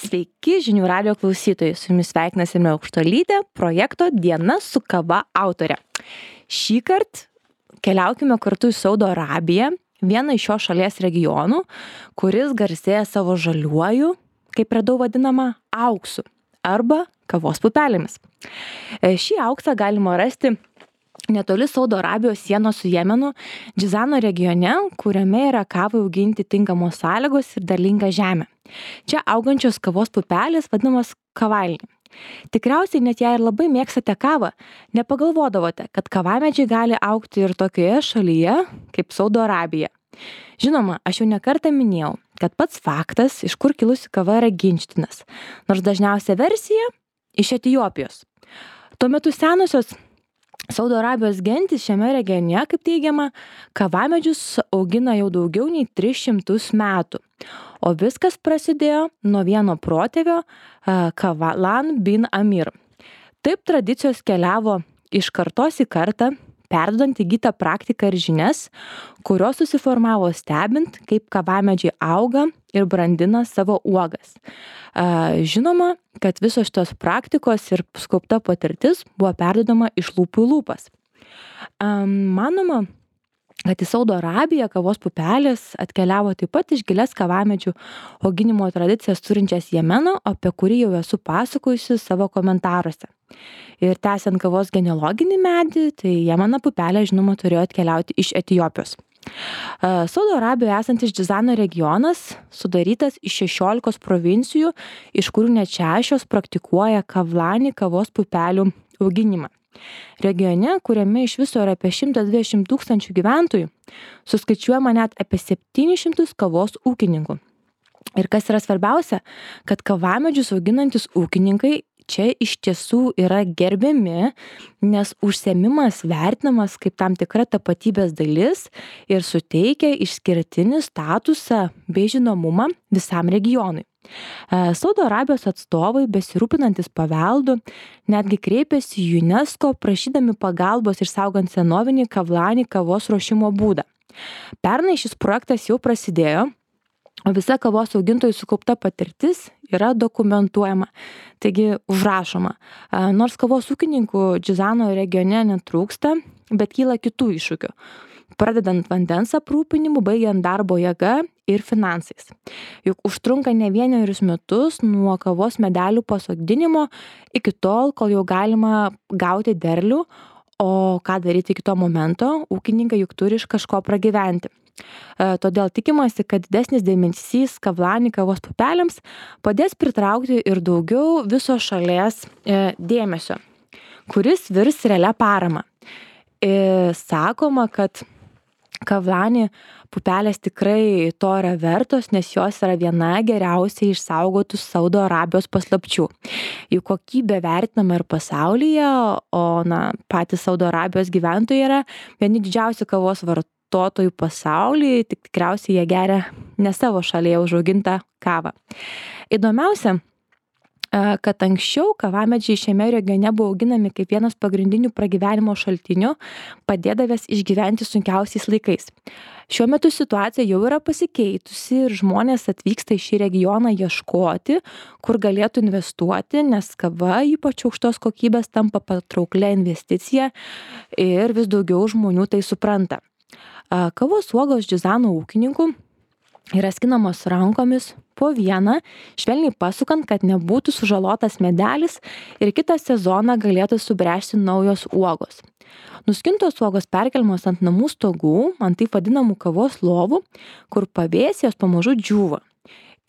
Sveiki žinių radio klausytojai, su jumis sveikinasi Simė Aukštuolytė, projekto Diena su kava autorė. Šįkart keliaukime kartu į Saudo Arabiją, vieną iš šios šalies regionų, kuris garsėja savo žaliuoju, kaip radau vadinama, auksu arba kavos pupelėmis. Šį auksą galima rasti netoli Saudo Arabijos sienos su Jemenu, Džizano regione, kuriame yra kavai auginti tinkamos sąlygos ir derlinga žemė. Čia augančios kavos pupelės vadinamos kavalni. Tikriausiai net jei ir labai mėgstate kavą, nepagalvodavote, kad kavamedžiai gali augti ir tokioje šalyje kaip Saudo Arabija. Žinoma, aš jau nekartą minėjau, kad pats faktas, iš kur kilusi kava, yra ginčytinas, nors dažniausia versija iš Etiopijos. Tuo metu senosios Saudo Arabijos gentys šiame regione, kaip teigiama, kavamedžius augina jau daugiau nei 300 metų. O viskas prasidėjo nuo vieno protėvio Kavalan bin Amir. Taip tradicijos keliavo iš kartos į kartą, perduodant įgytą praktiką ir žinias, kurios susiformavo stebint, kaip kavamedžiai auga ir brandina savo uogas. Žinoma, kad visos šitos praktikos ir sukaupta patirtis buvo perduodama iš lūpų į lūpas. Manoma, kad į Saudo Arabiją kavos pupelės atkeliavo taip pat iš gilias kavamedžių auginimo tradicijas turinčias Jemeno, apie kurį jau esu pasakojusi savo komentaruose. Ir tęsiant kavos genealoginį medį, tai Jemeno pupelė, žinoma, turėjo atkeliauti iš Etiopijos. Saudo Arabijoje esantis Džizano regionas sudarytas iš 16 provincijų, iš kurių net 6 praktikuoja kavlani kavos pupelių auginimą. Regione, kuriame iš viso yra apie 120 000 gyventojų, suskaičiuojama net apie 700 kavos ūkininkų. Ir kas yra svarbiausia, kad kavamedžius auginantis ūkininkai čia iš tiesų yra gerbiami, nes užsiėmimas vertinamas kaip tam tikra tapatybės dalis ir suteikia išskirtinį statusą bei žinomumą visam regionui. Saudo Arabijos atstovai, besirūpinantis paveldu, netgi kreipėsi į UNESCO prašydami pagalbos išsaugant senovinį kavlani kavos ruošimo būdą. Pernai šis projektas jau prasidėjo, o visa kavos augintojų sukaupta patirtis yra dokumentuojama, taigi užrašoma. Nors kavos ūkininkų Džizano regione netrūksta, bet kyla kitų iššūkių, pradedant vandens aprūpinimu, baigiant darbo jėga ir finansais. Juk užtrunka ne vienerius metus nuo kavos medelių pasodinimo iki tol, kol jau galima gauti derlių, o ką daryti iki to momento, ūkininkai juk turi iš kažko pragyventi. Todėl tikimasi, kad didesnis dėmesys kavlani kavos pupelėms padės pritraukti ir daugiau viso šalies dėmesio, kuris virs realia parama. Sakoma, kad kavlani pupelės tikrai to yra vertos, nes jos yra viena geriausiai išsaugotų Saudo Arabijos paslapčių. Jų kokybė vertinama ir pasaulyje, o patys Saudo Arabijos gyventojai yra vieni didžiausių kavos vartotojų pasaulyje, tik tikriausiai jie geria ne savo šalyje užaugintą kavą. Įdomiausia, kad anksčiau kavamedžiai šiame regione buvo auginami kaip vienas pagrindinių pragyvenimo šaltinių, padėdavęs išgyventi sunkiausiais laikais. Šiuo metu situacija jau yra pasikeitusi ir žmonės atvyksta į šį regioną ieškoti, kur galėtų investuoti, nes kava, ypač aukštos kokybės, tampa patrauklia investicija ir vis daugiau žmonių tai supranta. Kavos uogos Džizano ūkininkų yra skinamos rankomis po vieną, švelniai pasukant, kad nebūtų sužalotas medelis ir kitą sezoną galėtų subręsti naujos uogos. Nuskintos uogos perkeliamos ant namų stogų, ant taip vadinamų kavos lovų, kur pavėsyje jos pamažu džiūva.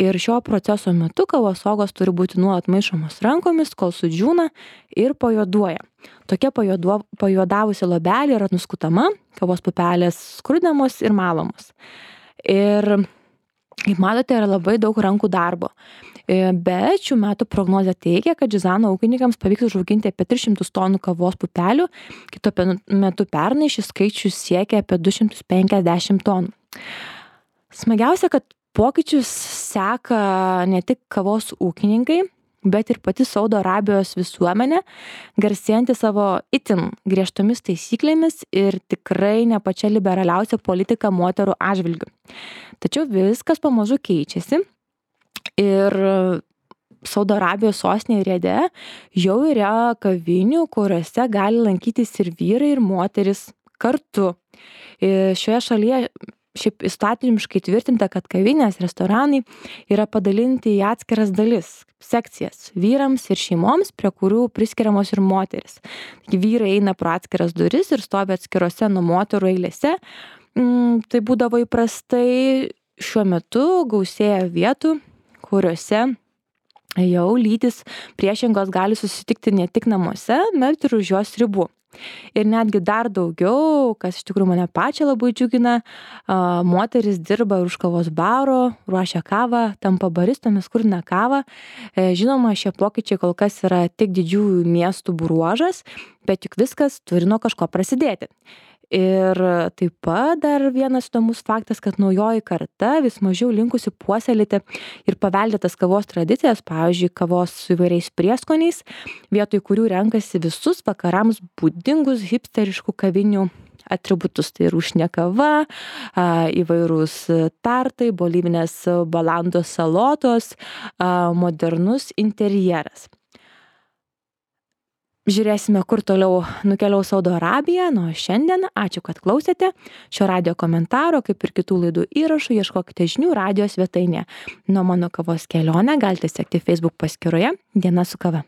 Ir šio proceso metu kavos uogos turi būti nuolat maišomos rankomis, kol sudžiūna ir pajuoduoja. Tokia pajuodavusi lobelė yra nuskutama, kavos pupelės skrudinamos ir malamos. Ir kaip matote, yra labai daug rankų darbo. Bet šių metų prognozė teigia, kad Džizano ūkininkams pavyks užauginti apie 300 tonų kavos pupelių, kitu metu pernai šis skaičius siekia apie 250 tonų. Smagiausia, kad pokyčius seka ne tik kavos ūkininkai, bet ir pati Saudo Arabijos visuomenė, garsėjanti savo itin griežtomis taisyklėmis ir tikrai ne pačia liberaliausia politika moterų atžvilgiu. Tačiau viskas pamažu keičiasi ir Saudo Arabijos sostinėje Riade jau yra kavinių, kuriuose gali lankytis ir vyrai, ir moteris kartu. Šioje šalyje šiaip įstatymiškai tvirtinta, kad kavinės, restoranai yra padalinti į atskiras dalis, sekcijas vyrams ir šeimoms, prie kurių priskiriamos ir moteris. Taigi vyrai eina pro atskiras duris ir stovi atskirose nuo moterų eilėse. Tai būdavo įprastai. Šiuo metu gausėja vietų, kuriuose jau lytys priešingos gali susitikti ne tik namuose, bet ir už jos ribų. Ir netgi dar daugiau, kas iš tikrųjų mane pačią labai džiugina, moteris dirba už kavos baro, ruošia kavą, tampa baristomis, kurina kavą. Žinoma, šie pokyčiai kol kas yra tik didžiųjų miestų bruožas, bet juk viskas turi nuo kažko prasidėti. Ir taip pat dar vienas įdomus faktas, kad naujoji karta vis mažiau linkusi puoselėti ir paveldėtas kavos tradicijas, pavyzdžiui, kavos su įvairiais prieskoniais, vietoj kurių renkasi visus vakarams būdingus hipsteriškų kavinių atributus. Tai rūšinė kava, įvairūs tartai, bolivinės balandos salotos, modernus interjeras. Žiūrėsime, kur toliau nukeliaus Saudo Arabija. O šiandien ačiū, kad klausėte. Šio radijo komentaro, kaip ir kitų laidų įrašų, ieškokite žinių radijo svetainėje. Nuo mano kavos kelionę galite sekti Facebook paskyroje Diena su kava.